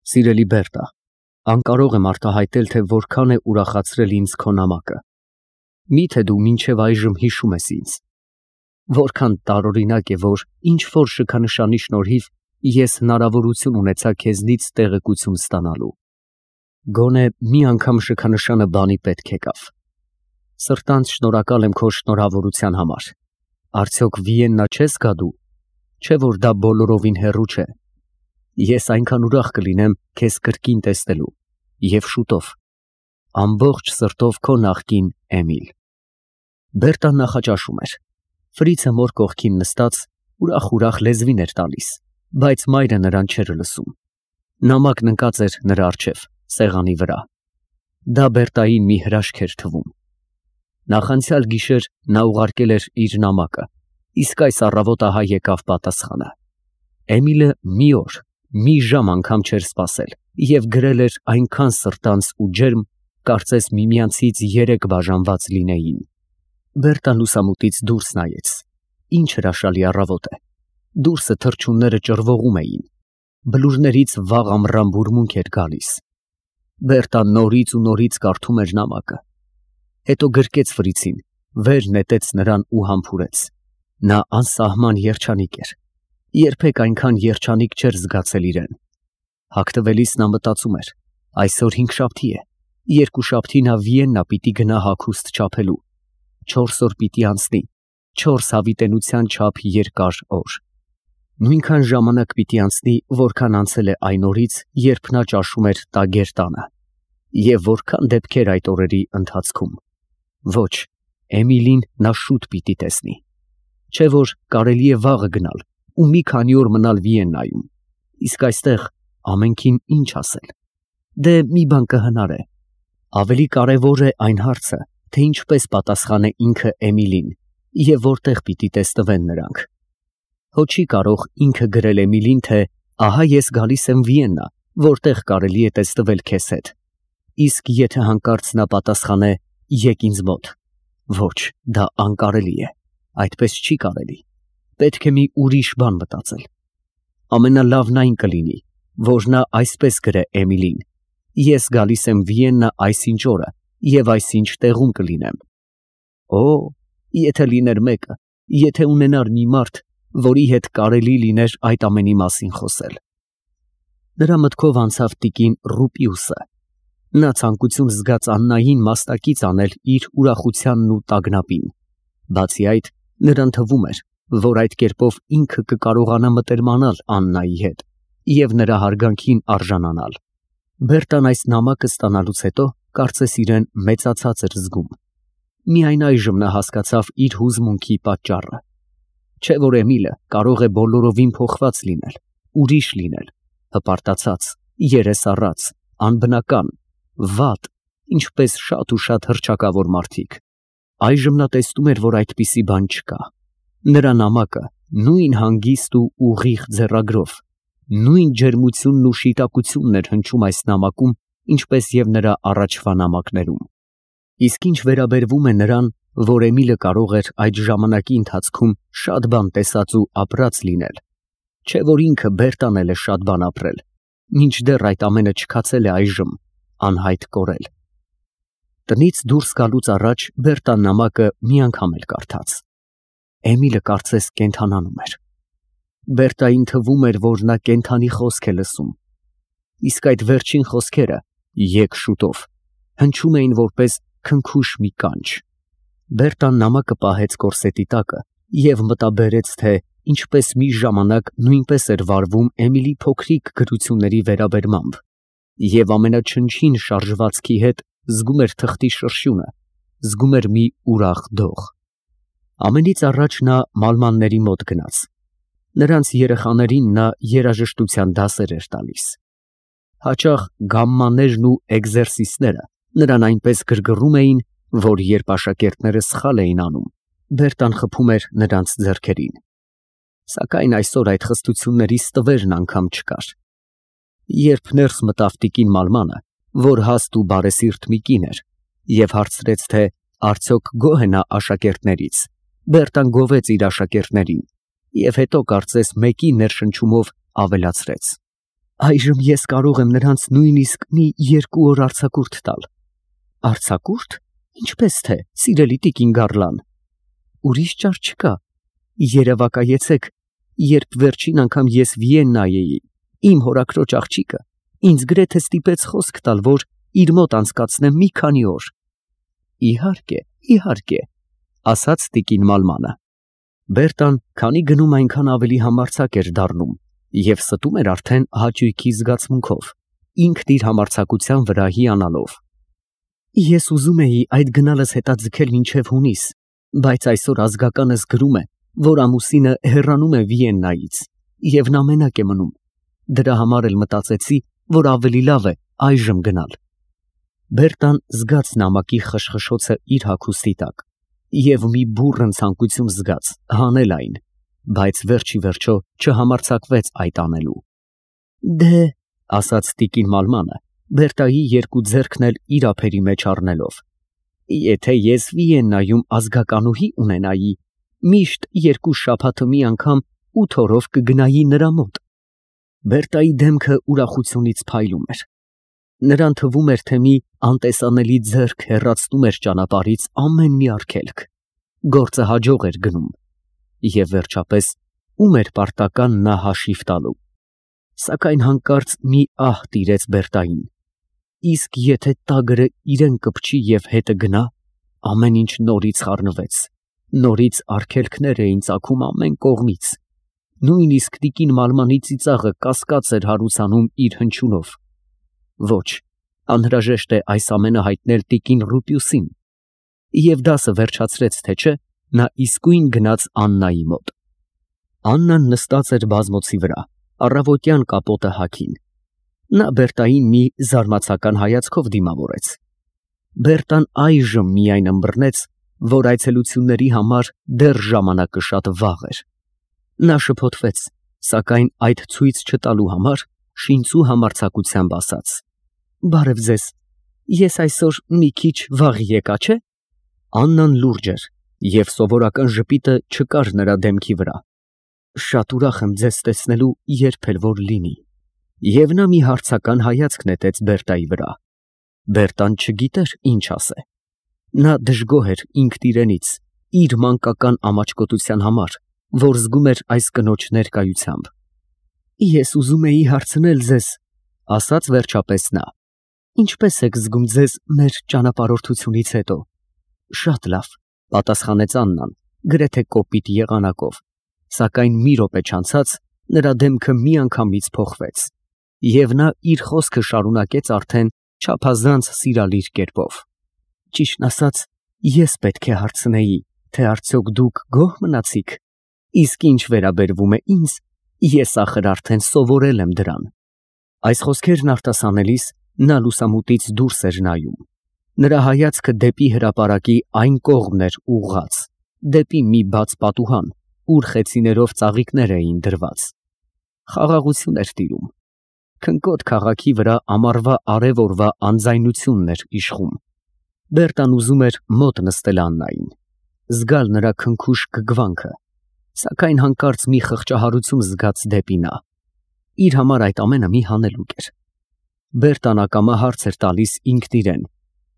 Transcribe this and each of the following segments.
Սիրելի Բերտա, անկարող եմ արտահայտել, թե որքան է ուրախացրել ինձ քո նամակը։ Միթե դու մինչև այժմ հիշում ես ինձ։ Որքան տարօրինակ է, որ ինչ-որ շքանշանի շնորհիվ ես հնարավորություն ունեցա քեզնից տեղեկություն ստանալու։ Գոնե մի անգամ շքանշանը բանի պետք եկավ։ Սրտանց շնորհակալ եմ քո շնորհավորության համար։ Արդյոք Վիեննա չես գա դու, չէ՞ որ դա բոլորովին հեռու չէ։ Ես այնքան ուրախ կլինեմ քեզ կրկին տեսնելու և շուտով։ Ամբողջ սրտով քո նախկին Էմիլ։ Բերտան նախաճաշում էր։ Ֆրիցը մոր կողքին նստած ուրախ լեզվին էր տալիս, բայց մայրը նրան չէր լսում։ Նամակն ընկած էր նրա առջև, սեղանի վրա։ Դա Բերտային մի հրաշք էր թվում։ Նախանցյալ գիշեր նա ուղարկել էր իր նամակը, իսկ այս առավոտ ահա եկավ պատասխանը։ Էմիլը մի օր, մի ժամ անգամ չէր սպասել և գրել էր այնքան սրտանց ու ջերմ, կարծես միմյանցից երեք բաժանված լինեին։ Բերտան լուսամուտից դուրս նայեց։ Ինչ հրաշալի առավոտ է։ Դուրսը թռչունները ճռվողում էին։ Բլուրներից վաղ ամռան բուրմունք էր գալիս։ Բերտան նորից ու նորից կարդում էր նամակը։ Հետո գրկեց Ֆրիցին, վեր նետեց նրան ու համբուրեց։ Նա անսահման երջանիկ էր։ Երբեք այնքան երջանիկ չէր զգացել իրեն։ Հագնվելիս նա մտածում էր. այսօր հինգշաբթի է, երկուշաբթի նա Վիեննա պիտի գնա հագուստ չափելու։ 4 օր պիտի անցնի, 4 հավիտենության չափ երկար օր։ Նույնքան ժամանակ պիտի անցնի, որքան անցել է այն օրից, երբ նա ճաշում էր տագեր տանը։ Եվ որքան դեպքեր այդ օրերի ընթացքում։ Ոչ, Էմիլին նա շուտ պիտի տեսնի։ Չէ՞ որ կարելի է վաղը գնալ ու մի քանի օր մնալ Վիեննայում։ Իսկ այստեղ ամենքին ինչ ասել։ Դե մի բան կհնարե։ Ավելի կարևոր է այն հարցը, թե ինչպես պատասխանե ինքը Էմիլին և որտեղ պիտի տեսնվեն նրանք։ Հո չի կարող ինքը գրել Էմիլին, թե ահա ես գալիս եմ Վիեննա, որտեղ կարելի է տեսնվել քեզ հետ։ Իսկ եթե հանկարծ նա պատասխանե եկ ինձ մոտ։ Ոչ, դա անկարելի է, այդպես չի կարելի։ Պետք է մի ուրիշ բան մտածել։ Ամենալավն այն կլինի, որ նա այսպես գրե Էմիլին. ես գալիս եմ Վիեննա այսինչ օրը և այսինչ տեղում կլինեմ։ Օ, եթե լիներ մեկը, եթե ունենար մի մարդ, որի հետ կարելի լիներ այդ ամենի մասին խոսել։ Նրա մտքով անցավ տիկին Ռուպիուսը։ Նա ցանկություն զգաց Աննային մասնակից անել իր ուրախությանն ու տագնապին։ Բացի այդ, նրան թվում էր, որ այդ կերպով ինքը կկարողանա մտերմանալ Աննայի հետ և նրա հարգանքին արժանանալ։ Բերտան այս նամակը ստանալուց հետո կարծես իրեն մեծացած էր զգում։ Միայն այժմ նա հասկացավ իր հուզմունքի պատճառը։ Չէ՞ որ Էմիլը կարող է բոլորովին փոխված լինել, ուրիշ լինել, հպարտացած, երեսառած, անբնական, վատ, ինչպես շատ ու շատ հռչակավոր մարդիկ։ Այժմ նա տեսնում էր, որ այդպիսի բան չկա։ Նրա նամակը նույն հանգիստ ու ուղիղ ձեռագրով, նույն ջերմությունն ու շիտակությունն էր հնչում այս նամակում, ինչպես և նրա առաջվա նամակներում։ Իսկ ինչ վերաբերվում է նրան, որ Էմիլը կարող էր այդ ժամանակի ընթացքում շատ բան տեսած ու ապրած լինել, չէ՞ որ ինքը Բերտան էլ է շատ բան ապրել, մինչդեռ այդ ամենը չքացել է այժմ անհայտ կորել։ Տնից դուրս գալուց առաջ Բերտան նամակը մի անգամ էլ կարդաց։ Էմիլը կարծես կենդանանում էր։ Բերտային թվում էր, որ նա կենդանի խոսք է լսում։ Իսկ այդ վերջին խոսքերը եկ շուտով հնչում էին որպես քնքուշ մի կանչ։ Բերտան նամակը պահեց կորսետի տակը և մտաբերեց, թե ինչպես մի ժամանակ նույնպես էր վարվում Էմիլի փոքրիկ գրությունների վերաբերմամբ և ամենաչնչին շարժվածքի հետ զգում էր թղթի շրշյունը, զգում էր մի ուրախ դող։ Ամենից առաջ նա մալմանների մոտ գնաց։ Նրանց երեխաներին նա երաժշտության դասեր էր տալիս։ Հաճախ գամմաներն ու էկզերսիսները նրան այնպես գրգռում էին, որ երբ աշակերտները սխալ էին անում, Բերտան խփում էր նրանց ձեռքերին։ Սակայն այսօր այդ խստությունների ստվերն անգամ չկար։ Երբ ներս մտավ տիկին Մալմանը, որ հաստ ու բարեսիրտ մի կին էր, և հարցրեց, թե արդյոք գոհ է նա աշակերտներից, Բերտան գովեց իր աշակերտներին և հետո կարծես մեկի ներշնչումով ավելացրեց. Այժմ ես կարող եմ նրանց նույնիսկ մի 2 օր արձակուրդ տալ։ Արձակուրդ։ Ինչպես թե, սիրելի տիկին Գարլան։ Ուրիշ ճար չկա։ Երևակայեցեք, երբ վերջին անգամ ես Վիեննայի էի, իմ հորաքրոջ աղջիկը ինձ գրեթե ստիպեց խոսք տալ, որ իր մոտ անցկացնեմ մի քանի օր։ Իհարկե, իհարկե, ասաց տիկին Մալմանը։ Բերտան, քանի գնում այնքան ավելի համարձակ էր դառնում և ստում էր արդեն հաճույքի զգացմունքով, ինքն իր համարձակության վրա հիանալով։ Ես ուզում էի այդ գնալս հետաձգել մինչև հունիս, բայց այսօր ազգականս գրում է, որ ամուսինը հեռանում է Վիեննայից և նա մենակ է մնում։ Դրա համար էլ մտածեցի, որ ավելի լավ է այժմ գնալ։ Բերտան զգաց նամակի խշխշոցը իր հագուստի տակ և մի բուռն ցանկություն զգաց հանել այն, բայց վերջ ի վերջո չհամարձակվեց այդ անելու։ Դե, ասաց տիկին Մալմանը, Բերտայի երկու ձեռքն էլ իր ափերի մեջ առնելով, եթե ես Վիեննայում ազգականուհի ունենայի, միշտ 2 շաբաթը մի անգամ 8 օրով կգնայի նրա մոտ։ Բերտայի դեմքը ուրախությունից փայլում էր։ Նրան թվում էր, թե մի անտեսանելի ձեռք հեռացնում էր ճանապարհից ամեն մի արգելք։ Գործը հաջող էր գնում։ Եվ վերջապես, ում էր պարտական նա հաշիվ տալու։ Սակայն հանկարծ մի ահ տիրեց Բերտային։ Իսկ եթե տագրը իրեն կպչի և հետը գնա, ամեն ինչ նորից խառնվեց, նորից արգելքներ էին ծագում ամեն կողմից, նույնիսկ տիկին Մալմանի ծիծաղը կասկած էր հարուցանում իր հնչյունով։ Ոչ, անհրաժեշտ է այս ամենը հայտնել տիկին Ռուպիուսին։ Եվ դասը վերջացրեց, թե չէ, նա իսկույն գնաց Աննայի մոտ։ Աննան նստած էր բազմոցի վրա, առավոտյան կապոտը հագին։ Նա Բերտային մի զարմացական հայացքով դիմավորեց։ Բերտան այժմ միայն ըմբռնեց, որ այցելությունների համար դեռ ժամանակը շատ վաղ էր։ Նա շփոթվեց, սակայն այդ ցույց չտալու համար շինծու համարձակությամբ ասաց. Բարև ձեզ, ես այսօր մի քիչ վաղ եկա, չէ՞։ Աննան լուրջ էր, և սովորական ժպիտը չկար նրա դեմքի վրա։ Շատ ուրախ եմ ձեզ տեսնելու, երբ էլ որ լինի։ Եվ նա մի հարցական հայացք նետեց Բերտայի վրա։ Բերտան չգիտեր ինչ ասե։ Նա դժգոհ էր ինքն իրենից, իր մանկական ամաչկոտության համար, որ զգում էր այս կնոջ ներկայությամբ։ Ես ուզում էի հարցնել ձեզ, ասաց վերջապես նա. ինչպես եք զգում ձեզ մեր ճանապարհորդությունից հետո։ Շատ լավ, պատասխանեց Աննան, գրեթե կոպիտ եղանակով, սակայն մի րոպե չանցած նրա դեմքը միանգամից փոխվեց, և նա իր խոսքը շարունակեց արդեն չափազանց սիրալիր կերպով։ Ճիշտն ասած, ես պետք է հարցնեի, թե արդյոք դուք գոհ մնացիք։ Իսկ ինչ վերաբերվում է ինձ, ես ախր արդեն սովորել եմ դրան։ Այս խոսքերն արտասանելիս նա լուսամուտից դուրս էր նայում։ Նրա հայացքը դեպի հրապարակի այն կողմն էր ուղղած, դեպի մի բաց պատուհան, ուր խեցիներով ծաղիկներ էին դրված։ Խաղաղություն էր տիրում։ Քնկոտ քաղաքի վրա ամառվա արև օրվա անձայնությունն էր իշխում։ Բերտան ուզում էր մոտ նստել Աննային, զգալ նրա քնքուշ գգվանքը, սակայն հանկարծ մի խղճահարություն զգաց դեպի նա։ Իր համար այդ ամենը մի հանելուկ էր։ Բերտան ակամա հարց էր տալիս ինքն իրեն.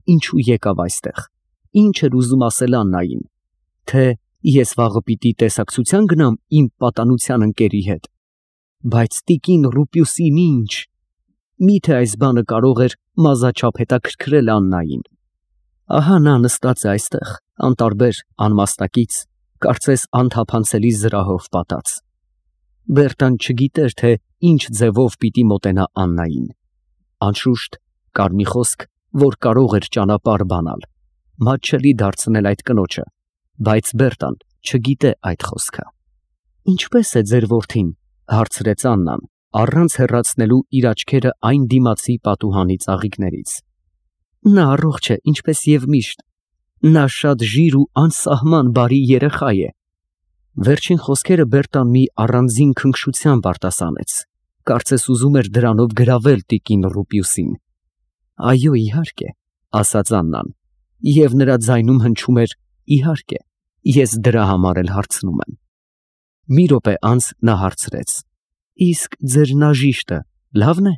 ինչու եկավ այստեղ, ինչ էր ուզում ասել Աննային, թե ես վաղը պիտի տեսակցության գնամ իմ պատանության ընկերի հետ, բայց տիկին Ռուպիուսին ինչ, միթե այս բանը կարող էր մազաչափ հետաքրքրել Աննային։ Ահա նա նստած է այստեղ, անտարբեր, անմաստակից, կարծես անթափանցելի զրահով պատած։ Բերտան չգիտեր, թե ինչ ձևով պիտի մոտենա Աննային։ Անշուշտ, կար մի խոսք, որ կարող էր ճանապարհ բանալ, մատչելի դարձնել այդ կնոջը, բայց Բերտան չգիտե այդ խոսքը։ Ինչպե՞ս է ձեր որդին, հարցրեց Աննան, առանց հեռացնելու իր աչքերը այն դիմացի պատուհանի ծաղիկներից։ Նա առողջ է, ինչպես և միշտ։ Նա շատ ժիր ու անսահման բարի երեխա է։ Վերջին խոսքերը Բերտան մի առանձին քնքշությամբ արտասանեց, կարծես ուզում էր դրանով գրավել տիկին Ռուպիուսին։ Այո, իհարկե, ասաց Աննան, և նրա ձայնում հնչում էր իհարկե, ես դրա համար էլ հարցնում եմ։ Մի րոպե անց նա հարցրեց. իսկ ձեր նաժիշտը Լավն է։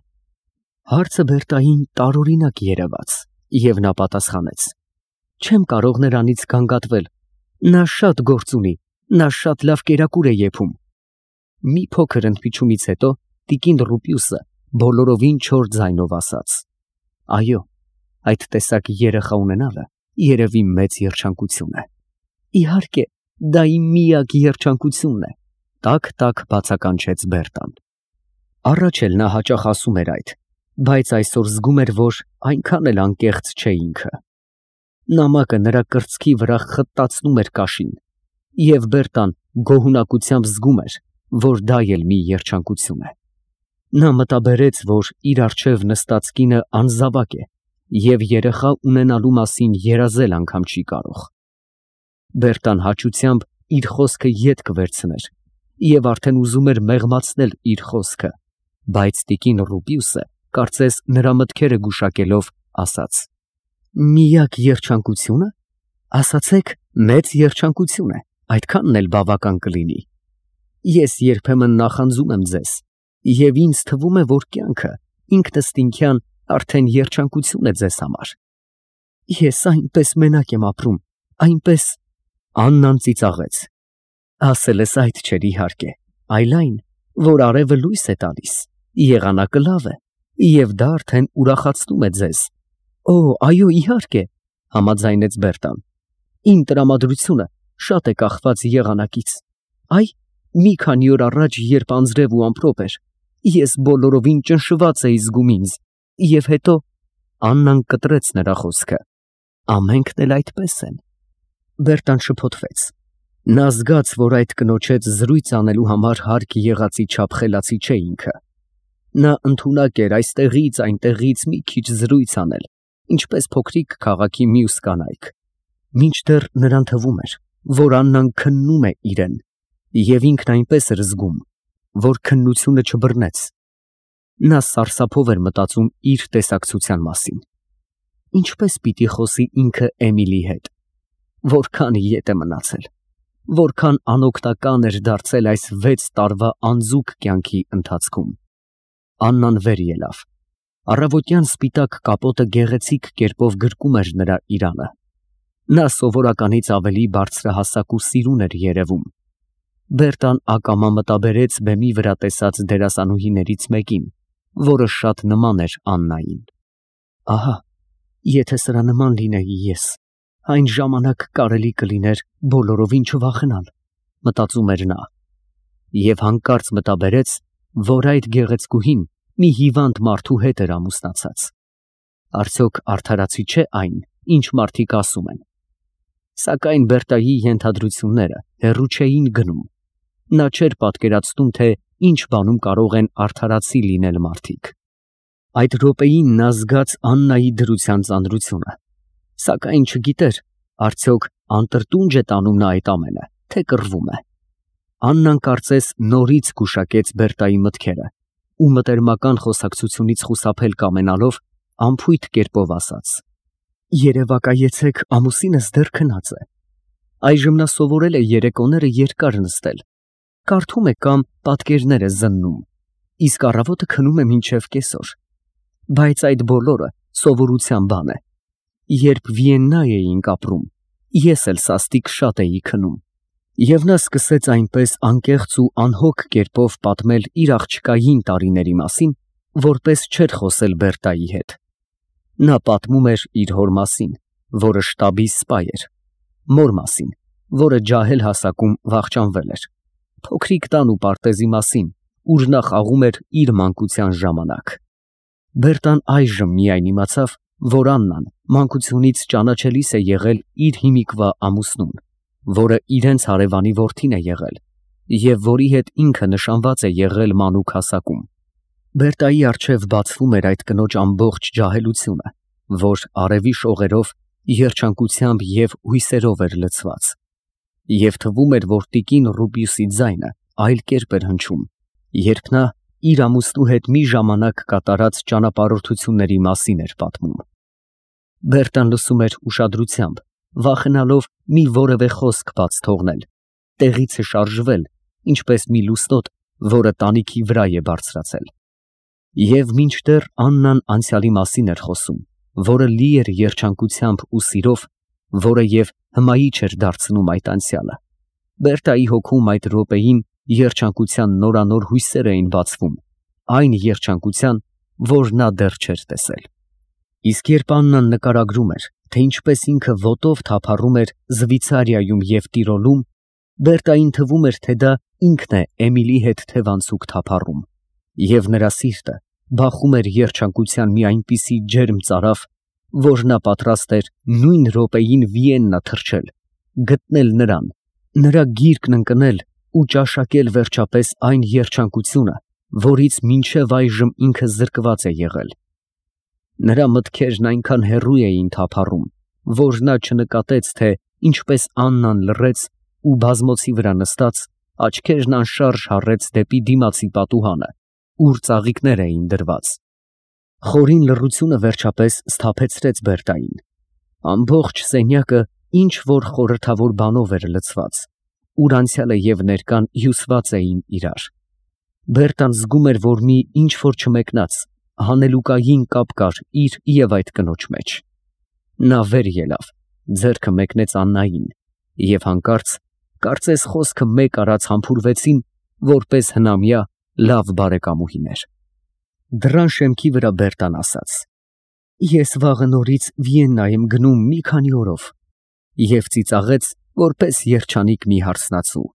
Հարցը Բերտային տարօրինակ երևաց, եւ նա պատասխանեց. Չեմ կարող նրանից գանգատվել։ Նա շատ գործ ունի, նա շատ լավ կերակուր է եփում։ Մի փոքր ընդմիջումից հետո տիկին Ռուպիուսը բոլորովին չոր ձայնով ասաց. Այո, այդ տեսակ երեխա ունենալը երևի մեծ երջանկություն է։ Իհարկե, դա իմ միակ երջանկությունն է, տակ բացականչեց Բերտան։ Առաջ էլ նա հաճախ ասում էր այդ, բայց այսօր զգում էր, որ այնքան էլ անկեղծ չէ ինքը։ Նամակը նրա կրծքի վրա խտացնում էր կաշին, եւ Բերտան գոհունակությամբ զգում էր, որ դա էլ մի երջանկություն է։ Նա մտաբերեց, որ իր առջև նստած կինը անզավակ է եւ երեխա ունենալու մասին երազել անգամ չի կարող։ Բերտան հաճությամբ իր խոսքը ետ կվերցներ եւ արդեն ուզում էր մեղմացնել իր խոսքը, բայց տիկին Ռուպիուսը, կարծես նրա մտքերը գուշակելով, ասաց. Միակ երջանկությունը, ասացեք, մեծ երջանկություն է, այդքանն էլ բավական կլինի։ Ես երբեմն նախանձում եմ ձեզ, եւ ինձ թվում է, որ կյանքը ինքնըստինքյան արդեն երջանկություն է ձեզ համար։ Ես այնպես մենակ եմ ապրում, այնպես… Աննան ծիծաղեց։ Ասել ես այդ չէր իհարկե, այլ այն, որ արևը լույս է տալիս, եղանակը լավ է, եւ դա արդեն ուրախացնում է ձեզ։ Օ, այո, իհարկե, համաձայնեց Բերտան։ Իմ տրամադրությունը շատ է կախված եղանակից։ Այ, մի քանի օր առաջ, երբ անձրև ու ամպրոպ էր, ես բոլորովին ճնշված էի զգում ինձ, եւ հետո… Աննան կտրեց նրա խոսքը։ Ամենքն էլ այդպես են։ Բերտան շփոթվեց։ Նա զգաց, որ այդ կնոջ հետ զրույց անելու համար հարկ եղածի չափ խելացի չէ ինքը։ Նա ընդունակ էր այստեղից այնտեղից մի քիչ զրույց անել, ինչպես փոքրիկ քաղաքի մյուս կանայք, մինչդեռ նրան թվում էր, որ Աննան քննում է իրեն, եւ ինքն այնպես էր զգում, որ քննությունը չբռնեց։ Նա սարսափով էր մտածում իր տեսակցության մասին։ Ինչպես պիտի խոսի ինքը Էմիլի հետ։ Որքան ետ է մնացել, որքան անօգնական էր դարձել այս 6 տարվա անձուկ կյանքի ընթացքում։ Աննան վեր ելավ։ Առավոտյան սպիտակ կապոտը գեղեցիկ կերպով գրկում էր նրա իրանը։ Նա սովորականից ավելի բարձրահասակ ու սիրուն էր երևում։ Բերտան ակամա մտաբերեց բեմի վրա տեսած դերասանուհիներից մեկին, որը շատ նման էր Աննային։ Ահա, եթե սրա նման լինեի ես, այն ժամանակ կարելի կլիներ բոլորովին չվախենալ, մտածում էր նա, եւ հանկարծ մտաբերեց, որ այդ գեղեցկուհին մի հիվանդ մարդու հետ էր ամուսնացած։ Արդյոք արդարացի չէ այն, ինչ մարդիկ ասում են։ Սակայն Բերտայի ենթադրությունները հեռու չէին գնում։ Նա չէր պատկերացնում, թե ինչ բանում կարող են արդարացի լինել մարդիկ։ Այդ րոպեին նա զգաց Աննայի դրության ծանրությունը, սակայն չգիտեր, արդյոք անտրտունջ է տանում նա այդ ամենը, թե կռվում է։ Աննան կարծես նորից գուշակեց Բերտայի մտքերը ու մտերմական խոսակցությունից խուսափել կամենալով անփույթ կերպով ասաց. Երևակայեցեք, ամուսինս դեռ քնած է։ Այժմ նա սովորել է երեկոները երկար նստել, կարդում է կամ պատկերներ է զննում, իսկ առավոտը քնում է մինչև կեսօր։ Բայց այդ բոլորը սովորության բան է։ Երբ Վիեննա էինք ապրում, ես էլ սաստիկ շատ էի քնում։ Եվ նա սկսեց այնպես անկեղծ ու անհոգ կերպով պատմել իր աղջկային տարիների մասին, որպես չէր խոսել Բերտայի հետ։ Նա պատմում էր իր հոր մասին, որը շտաբի սպա էր, մոր մասին, որը ջահել հասակում վախճանվել էր, փոքրիկ տան ու պարտեզի մասին, ուր նա խաղում էր իր մանկության ժամանակ։ Բերտան այժմ միայն իմացավ, որ Աննան մանկությունից ճանաչելիս է եղել իր հիմիկվա ամուսնուն, որը իրենց հարևանի որդին է եղել, և որի հետ ինքը նշանված է եղել մանուկ հասակում։ Բերտայի առջև բացվում էր այդ կնոջ ամբողջ ջահելությունը, որ արևի շողերով, երջանկությամբ և հույսերով էր լցված։ Եվ թվում էր, որ տիկին Ռուպիուսի ձայնը այլ կերպ էր հնչում, երբ նա իր ամուսնու հետ մի ժամանակ կատարած ճանապարհորդությունների մասին էր պատմում։ Բերտան լսում էր ուշադրությամբ, վախենալով մի որևէ խոսք բաց թողնել, տեղից է շարժվել, ինչպես մի լուսնոտ, որը տանիքի վրա է բարձրացել։ Եվ մինչդեռ Աննան անցյալի մասին էր խոսում, որը լի էր երջանկությամբ ու սիրով, որը և հմայի չէր դարձնում այդ անցյալը, Բերտայի հոգում այդ րոպեին երջանկության նորանոր հույսեր էին բացվում, այն երջանկության, որ նա դեռ չէր տեսել։ Իսկ երբ Աննան նկարագրում էր, թե ինչպես ինքը ոտով թափառում էր Զվիցարիայում և Տիրոլում, Բերտային թվում էր, թե դա ինքն է Էմիլի հետ թևանցուկ թափառում, և նրա սիրտը բախում էր երջանկության մի այնպիսի ջերմ ծարավ, որ նա պատրաստ էր նույն րոպեին Վիեննա թռչել, գտնել նրան, նրա գիրկն ընկնել ու ճաշակել վերջապես այն երջանկությունը, որից մինչև այժմ ինքը զրկված է եղել։ Նրա մտքերն այնքան հեռու էին թափառում, որ նա չնկատեց, թե ինչպես Աննան լռեց ու բազմոցի վրա նստած աչքերն անշարժ հառեց դեպի դիմացի պատուհանը, ուր ծաղիկներ էին դրված։ Խորին լռությունը վերջապես սթափեցրեց Բերտային։ Ամբողջ սենյակը ինչ որ խորհրդավոր բանով էր լցված, ուր անցյալը և ներկան հյուսված էին իրար։ Բերտան զգում էր, որ մի ինչ որ չմեկնած, հանելուկային կապ կար իր և այդ կնոջ մեջ։ Նա վեր ելավ, ձեռքը մեկնեց Աննային, և հանկարծ, կարծես խոսքը մեկ արած համբուրվեցին, որպես հնամյա լավ բարեկամուհիներ։ Դռան շեմքի վրա Բերտան ասաց. «Ես վաղը նորից Վիեննա եմ գնում մի քանի օրով» և ծիծաղեց, որպես երջանիկ մի հարսնացու։